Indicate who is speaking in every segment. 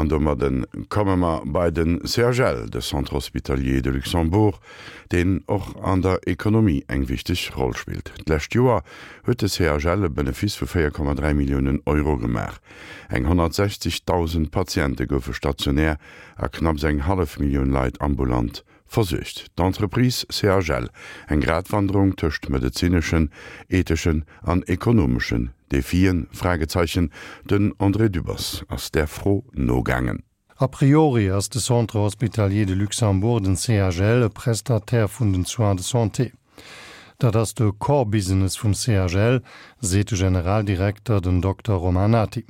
Speaker 1: An domadde komme mer bei de CHL, de Centre Hospitalier de Luxembourg, deen och an der Ekonomie eng wichteg Roll spillt. D'lescht Joer huet de CHL e Benefice vu 4,3 Milliounen Euro gemaach. Eng 160.000 Patiente goufe stationär a knapps eng hallef Millioun Leit ambulant versuergt. D'Entreprise CHL, eng Gratwanderung tëscht medezineschen, etheschen an ekonomeschen Defien? Fragezeichen Den André Dübbers ass där Fro nogaangen.
Speaker 2: A priori ass de Centre hospitalier de Luxembourg, den CHL, e Prestataire vun den Soins de santé. Dat ass de Core Business vum CHL, seet de Generaldirekter, den Dokter Romain Nati.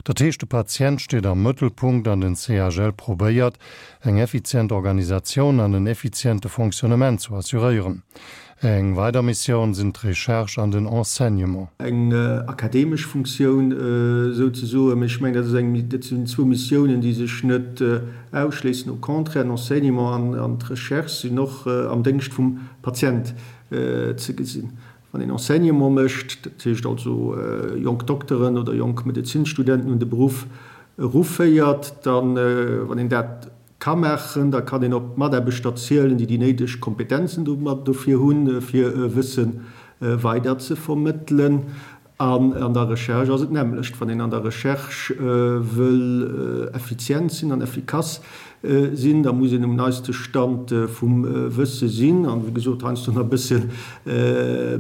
Speaker 2: Dat heescht, de Patient steet am Mëttelpunkt an den CHL probéiert, eng effizient Organisatioun an en effiziente Fonctionnement zu assuréieren. Eng weider Missioun sinn d'Recherche an den Enseignement.
Speaker 3: Eng akademesch Funktioun souzesoen. Mee ech mengen, dat ass eng, dat sinn zwou Missiounen, déi sech net ausschléissen. Au contraire, den Enseignement an d'Recherche sinn och am Déngscht vum Patient ze gesinn. Wann een Enseignement mécht, dat heescht also jonk Dokteren oder jonk Medezinsstudenten un de Beruff eruféiert, dann, wann een dat ka maachen, da kann een op Mataarbechter zielen, déi déi néideg Kompetenzen dofir hunn, fir Wësse weider ze vermëttelen. An an der Recherche ass et d'nämmlecht. Wann een an der Recherche wëll effizient sinn an effikass sinn, da muss een um neiste Stand vum Wësse sinn an, wéi gesot, heiansdo nach e bësse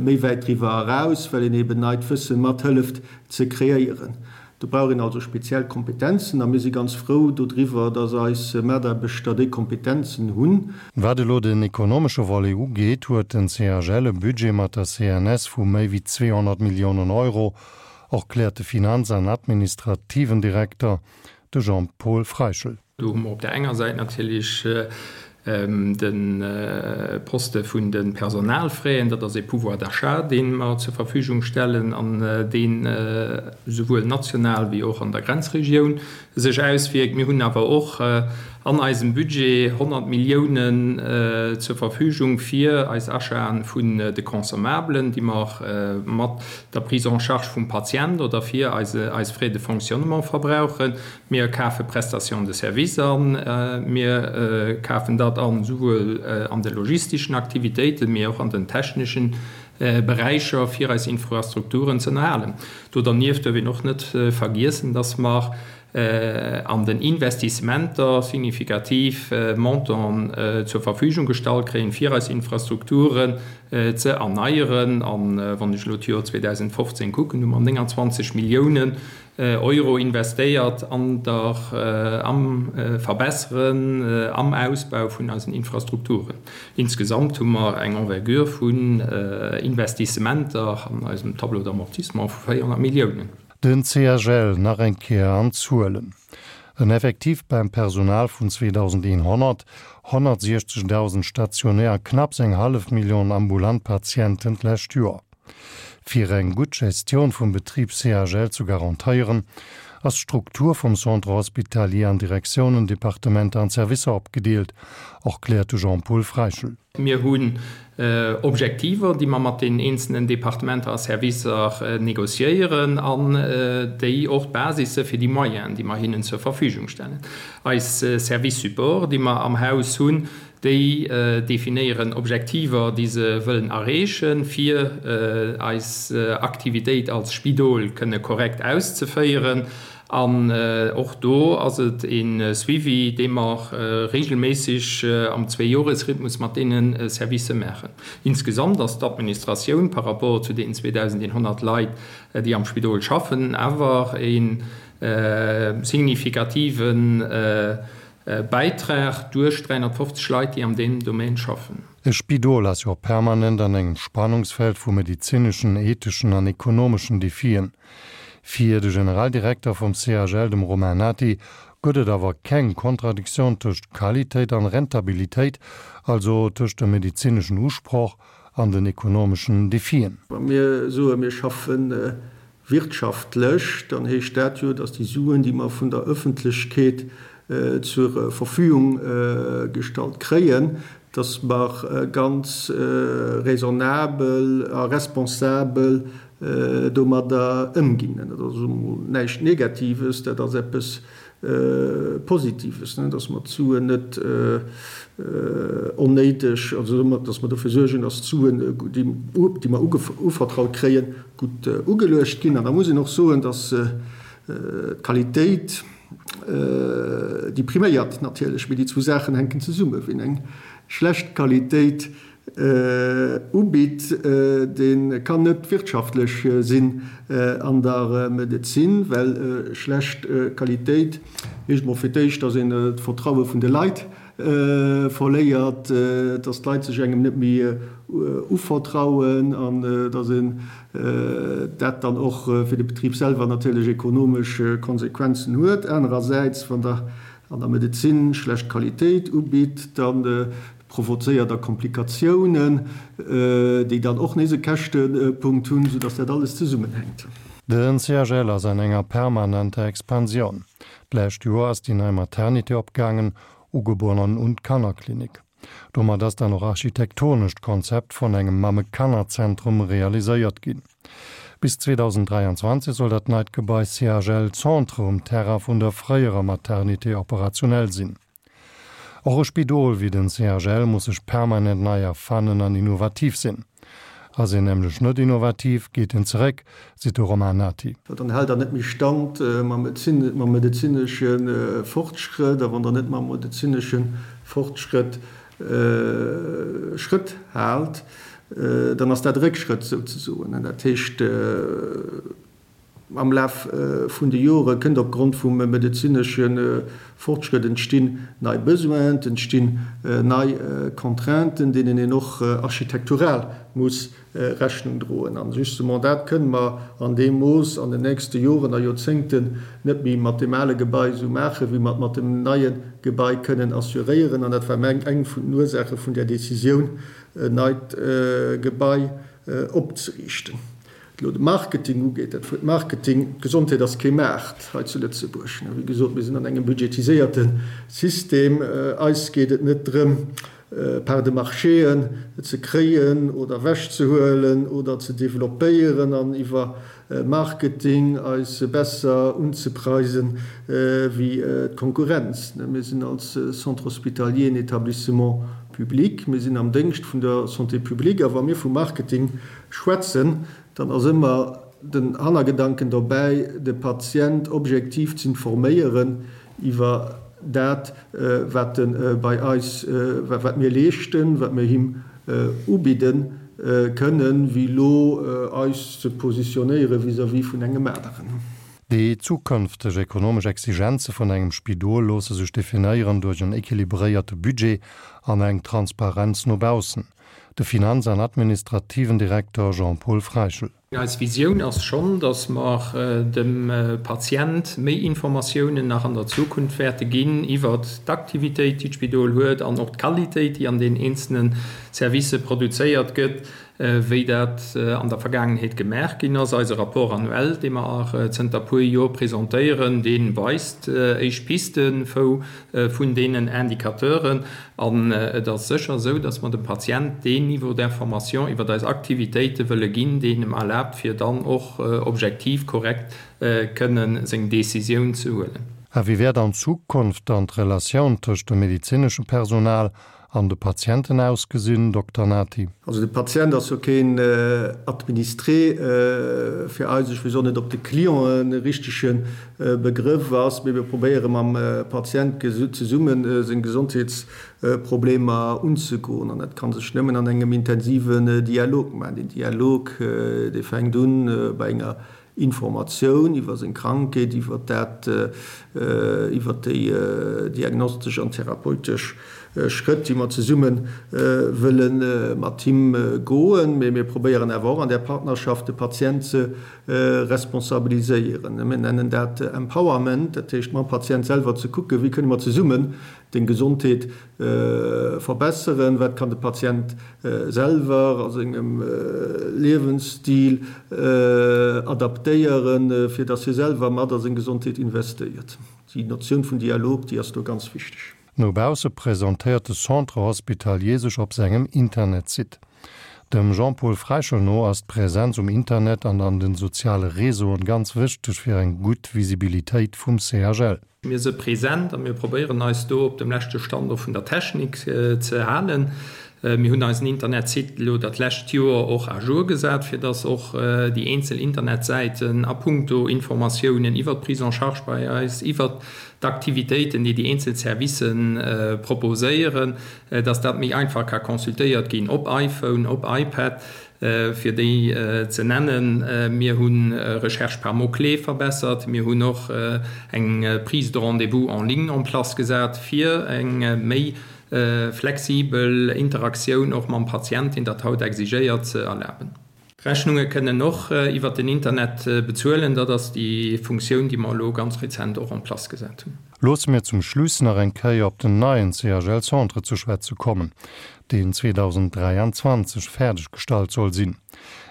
Speaker 3: méi wäit driwwer eraus, well een eben neit Wësse mat hëlleft ze kreéieren. Do brauch een also speziell Kompetenzen a mir si ganz frou dodriwwer, dass eis Mataarbechter déi Kompetenzen hunn.
Speaker 2: Wat elo den ekonomesche Volet ugeet, huet den CHL e Budget mat der CNS vu méi wéi 200 Milliounen Euro, erkläert de Finanz an administrativen Direkter, de Jean-Paul Freichel.
Speaker 4: Do hu mer op där enger Säit natierlech de Poste vun de Personalfraisen, dat ass ee Pouvoir d'achat, dee mer zur Verfügung stellen an deen esouwuel national wéi och an der Grenzregioun sech auswierkt. Mir hunn awer och an eisem Budget 100 Milliounen zur Verfügung fir eis Achaten vun de Consommablen, déi mer mat der Prise en charge vum Patient oder fir eis Frais de fonctionnement verbrauchen. Mir kafe Prestations de service an. Mir kafen dat an, souwuel an de logistischen Aktivitéiten, mee och an den techneschen Beräicher, fir eis Infrastrukturen ze ënnerhalen. Do dernieft duerf een och net vergiessen, dass mer an den Investissementer signifikativ Montanten zur Verfügung gestallt kréien, fir eis Infrastrukturen ze erneieren. A wann ech elo d'Joer 2015 kucken, hu mer 29 Milliounen Euro investéiert an der, am Verbesseren, am Ausbau vun eisen Infrastrukturen. Insgesamt hu mer eng Envergure vun Investissementer an eisem Tableau d'amortissement vu 400 Milliounen.
Speaker 2: Den CHL nach eng Kéier an Zuelen, En Effektiv beim Personal vun 2.100, 160.000 stationär a knapps eng hallef Million ambulant Patienten d'lescht Joer. Fir eng gutt Gestioun vum Betrib CHL zu garantéieren, ass d'Struktur vum Centre hospitalier an Direktiounen, Departementer an Servicer opgedeelt, erkläert de Jean-Paul Freichel.
Speaker 4: Mir hunn Objektiver, déi mer mat den eenzelnen Departementer a Servicer négociéieren an déi och d'Basis si fir déi Moyenen, déi mer hinnen zur Verfügung stellen. Eis Service Support, déi mer am Haus hunn, Déi definéieren Objektiver, déi se wëllen erreechen, fir eis Aktivitéit als Spidol kënne korrekt auszeféieren. An och do ass et e Suivi, dee mer regelméisseg am Zweejoresrhythmus mat deene Servicë maachen. Insgesamt ass d'Administratioun par rapport zu deenen 2.100 Leit, déi am Spidol schaffen, awer e signifikative Bäitrag duerch 350 Leit, déi am deem Domaine schaffen.
Speaker 2: E Spidol ass jo permanent an engem Spannungsfeld vu medezineschen, etheschen an ekonomeschen Defien. Fir de Generaldirekter vum CHL, dem Romain Nati, gëtt et awer keng Kontradiktioun tëscht Qualitéit an Rentabilitéit, also tëscht dem medezineschen Usproch an den ekonomeschen Defien.
Speaker 3: Wa mir soen, mir schaffen Wirtschaftlech, dann heescht dat jo, datt déi Suen, déi mer vun der Ëffentlechkeet zur Verfügung gestallt kréien, datt mer ganz raisonnabel a responsabel domadder ëmginn. Dat ass emol näischt Negatives, dat ass eppes. Positives, dass mer d'Suen net onnéideg, also dass mer dofir suergen, dass d'Suen, déi mer uvertraut kréien, gutt ugeluecht ginn. An da muss een och soen, dass d'Qualitéit, déi priméiert natierlech, mee déi zwou Saachen hänken zesummen. Wien eng schlecht Qualitéit ubitt, dee kann net wirtschaftlech sinn an der Medezin, well schlecht Qualitéit heescht emol fir d'éischt, datt een d'Vertraue vun de Leit verléiert, datt d'Leit sech engem net méi uvertrauen an datt een dat dann och fir de Betrib selwer natierlech ekonomesch Konsequenzen huet. Anerersäits, wann Der an der Medezin schlecht Qualitéit ubitt, da provozéiert da Komplikatiounen, déi dann och nees e Käschtepunkt hunn, soudass dat alles zesummenhänkt.
Speaker 2: Den CHL ass an enger permanenter Expansioun. D'lescht Joer ass déi nei Maternité opgaangen, Ugeborenen und Kannerklinik. Domat ass dann och architektonescht Konzept vun engem Mamme-Kanner-Zentrum realiséiert ginn. Bis 2023 soll dat neit Gebai CHL Centre um Terrain vun der fréierer Maternité operationell sinn. Och e Spidol wéi den CHL muss sech permanent nei erfannen an innovativ sinn. Ass een nämlech net innovativ, geet en zeréck, seet de Romain Nati.
Speaker 3: Well dann hält der net méi Stand mam medezinesche Fortschrëtt. A wann der net mam medezinesche Fortschrëtt Schrëtt haalt, dann ass dat e Réckschrëtt souzesoen. Dat heescht. Am Laf vun de Jore kënnt opgrond vum medezinesche Fortschrëtt entstinn nei Besoinen, et entstinn nei Contrainten, deenen een och architektural muss Rechnung droen. An justement dat kënne mer an deem Mooss an den nächste Joren a Joerzéngten net méi mat deem ale Gebai esou maachen, wéi mer et mat dem neie Gebai kënnen assuréieren. An dat war eng vun den Ursaache vun där Décisioun, en neit Gebai opzeriichten. Wat elo de Marketing ugeet, dat Wuert Marketing, d'Gesondheet ass kee Maart hei zu Lëtzebuerg. Wéi gesot, mir sinn an engem budgetiséierte System. Eis geet et net drëm, Parts de marchéen ze kréien oder ewechzehuelen oder ze developpéieren an iwwer Marketing eis besser unzepreisen wéi d'Konkurrenz. Mir sinn als Centre hospitalier en Établissement public, mir sinn am Déngscht vun der Santé publique a wa mir vu Marketing Schwätzen, dann ass ëmmer den Hannergedanken dobäi, de Patient objektiv z'informéieren iwwer dat, wat e bei eis, wat mir leeschten, wat mir him ubidde kënnen, wéi elo eis ze positionéiere vis-à-vis vun engem aneren.
Speaker 2: Déi zukënfteg ekonomesch Exigenze vun engem Spidol loosse sech definéieren duerch en équilibréierte Budget an eng Transparenz no baussen. De Finanz an administrativen Direkter Jean-Paul Freichel.
Speaker 4: Eis Visioun ass schonn, datt mer dem Patient méi Informatiounen nach an der Zukunft wäerte ginn iwwert d'Aktivitéit, déi d'Spidol huet an och d'Qualitéit, déi an den eenzelne Servicë produzéiert gëtt, wéi dat an der Vergaangenheet gemaach ginn ass. Eise Rapport annuel, dee mer zënter puer Jor presentéieren, dee weist éischt Pisten, wou vun deenen Indicateuren. An et ass sécher esou, dass mer dem Patient deen Niveau d'information iwwer eis Aktivitéite wëlle ginn, deen em erlaabt, fir dann och objektiv korrekt kënnen seng Décisioun ze huelen.
Speaker 2: A wéi wäert an Zukunft dann d'Relatioun tëscht dem medezineschen Personal an de Patienten ausgesinn, Dokter Nati?
Speaker 3: Also de Patient ass jo keen Administré fir eis. Ech weess och net, ob de Client e richtege Begrëff ass, mee mir probéiere mam Patient zesumme seng Gesondheetsproblemer unzegoen. An dat ka sech nëmmen an engem intensiven Dialog maachen. Deen Dialog, dee fänkt un bei enger Informatioun iwwer seng Krankheet, iwwer dat, iwwer déi diagnostesch an therapeutesch Schrëtt, déi mer zesumme wëlle mat him goen. Mee mir probéieren awer och an där Partnerschaft de Patient ze responsabiliséieren. Mir nennen dat Empowerment, dat heescht mam Patient selwer ze kucken, wéi kënne mer zesummen deng Gesondheet verbesseren, wat kann de Patient selwer a sengem Liewensstil adaptéieren, fir dass hie selwer mat a seng Gesondheet investéiert. Déi Notioun vun Dialog, déi ass do ganz wichteg.
Speaker 2: No bausse presentéiert de Centre Hospitalier sech op sengem Internetsite. Dem Jean-Paul Freischel no ass d'Präsenz um Internet an an den soziale Réseauen ganz wichteg fir eng gutt Visibilitéit vum CHL.
Speaker 4: Mir si present a mir probéieren eis do op dem leschte Stand och vun der Technik ze halen. Mir hunn eisen Internetsite elo dat lescht Joer och à jour gesat, fir dass och déi eenzel Internetsäiten a puncto Informatiounen iwwert d'Prise en charge bei eis, iwwert d'Aktivitéiten, déi déi eenzel Servicen proposéieren, dass dat méi einfach ka consultéiert ginn op iPhone, op iPad, fir déi ze nennen. Mir hu Recherche par mots-clés verbessert. Mir hunn och eng Prise de rendez-vous en ligne en place gesat, fir eng méi flexibel Interaktioun och mam Patient, deen dat haut exigéiert, ze erlaben. D'Rechnunge kënnen och iwwert den Internet bezuelen. Dat ass déi Funktioun, déi mer elo ganz rezent och en place gesat hunn.
Speaker 2: Loosse mir zum Schluss nach eng Kéier op den neien CHL-Centre ze schwätze kommen, deen 2023 fäerdeggestallt soll sinn.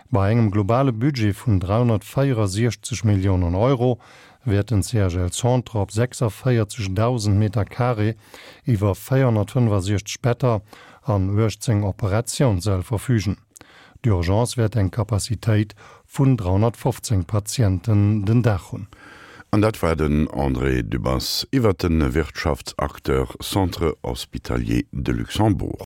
Speaker 2: Bei engem globale Budget vun 364 Milliounen Euro wäert den CHL-Centre op 46.000 Meter carré iwwer 465 Better an 18 Operatiounssäll verfügen. D'Urgence wäert eng Capacitéit vun 315 Patienten den Dag hunn.
Speaker 1: An dat war den André Dübbers iwwert de Wirtschaftsacteur Centre Hospitalier de Luxembourg.